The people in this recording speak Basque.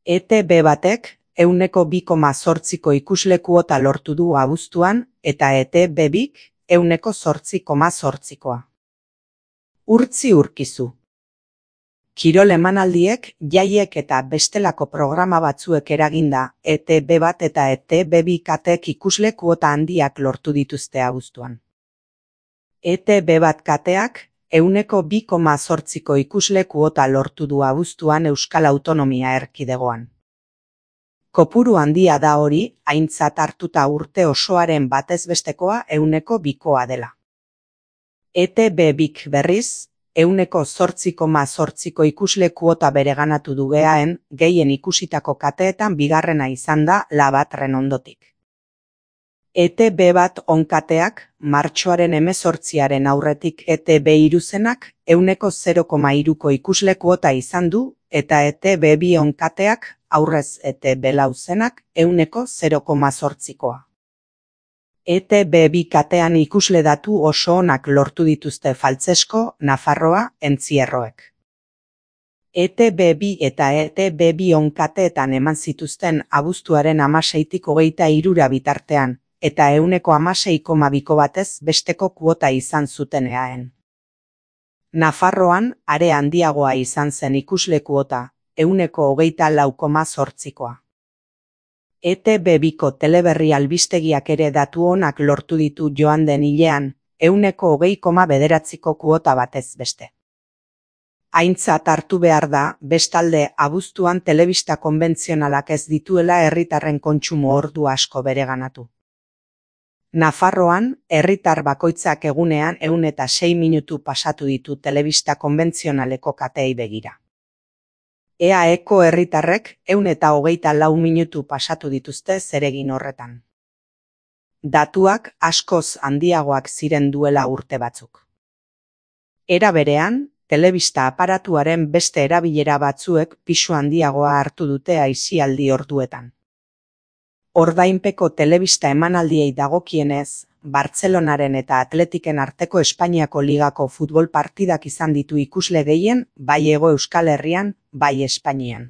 ETB batek 2,8ko ikusle kuota lortu du abuztuan eta ETB bik 8,8koa. Urtzi urkizu. Kirol emanaldiek, jaiek eta bestelako programa batzuek eraginda ETB bat eta ETB bi kateek ikusle kuota handiak lortu dituzte abuztuan. ETB bat kateak 2,8ko ikusle kuota lortu du abuztuan Euskal Autonomia Erkidegoan. Kopuru handia da hori, aintzat hartuta urte osoaren batez bestekoa 2koa dela. ETB bik berriz, 8,8ko ikusle kuota bereganatu du geaen, gehien ikusitako kateetan bigarrena izan da Labatren ondotik. ETB bat onkateak, martxoaren 18 aurretik ETB iruzenak 0,3ko ikusle kuota izan du, eta ETB bi onkateak, aurrez ETB lauzenak 0,8koa. ETB bi katean ikusle datu oso onak lortu dituzte Faltzesko, Nafarroa, Entzierroek. ETB bi eta ETB bi onkateetan eman zituzten abuztuaren 16tik 23 bitartean, eta 16,2ko batez besteko kuota izan zuten eaen. Nafarroan, are handiagoa izan zen ikusle kuota, 24,8koa. ETB biko teleberri albistegiak ere datu onak lortu ditu joan den hilean, 20,9ko kuota batez beste. Aintzat hartu behar da, bestalde abuztuan telebista konbentzionalak ez dituela herritarren kontsumo ordu asko bereganatu. Nafarroan, herritar bakoitzak egunean 106 minutu pasatu ditu telebista konbentzionaleko kateei begira. EAeko herritarrek 124 minutu pasatu dituzte zeregin horretan. Datuak askoz handiagoak ziren duela urte batzuk. Era berean, telebista aparatuaren beste erabilera batzuek pisu handiagoa hartu dute aisialdi orduetan. Ordainpeko telebista emanaldiei dagokienez, Bartzelonaren eta Atletiken arteko Espainiako ligako futbol partidak izan ditu ikusle gehien, bai Hego Euskal Herrian, bai Espainian.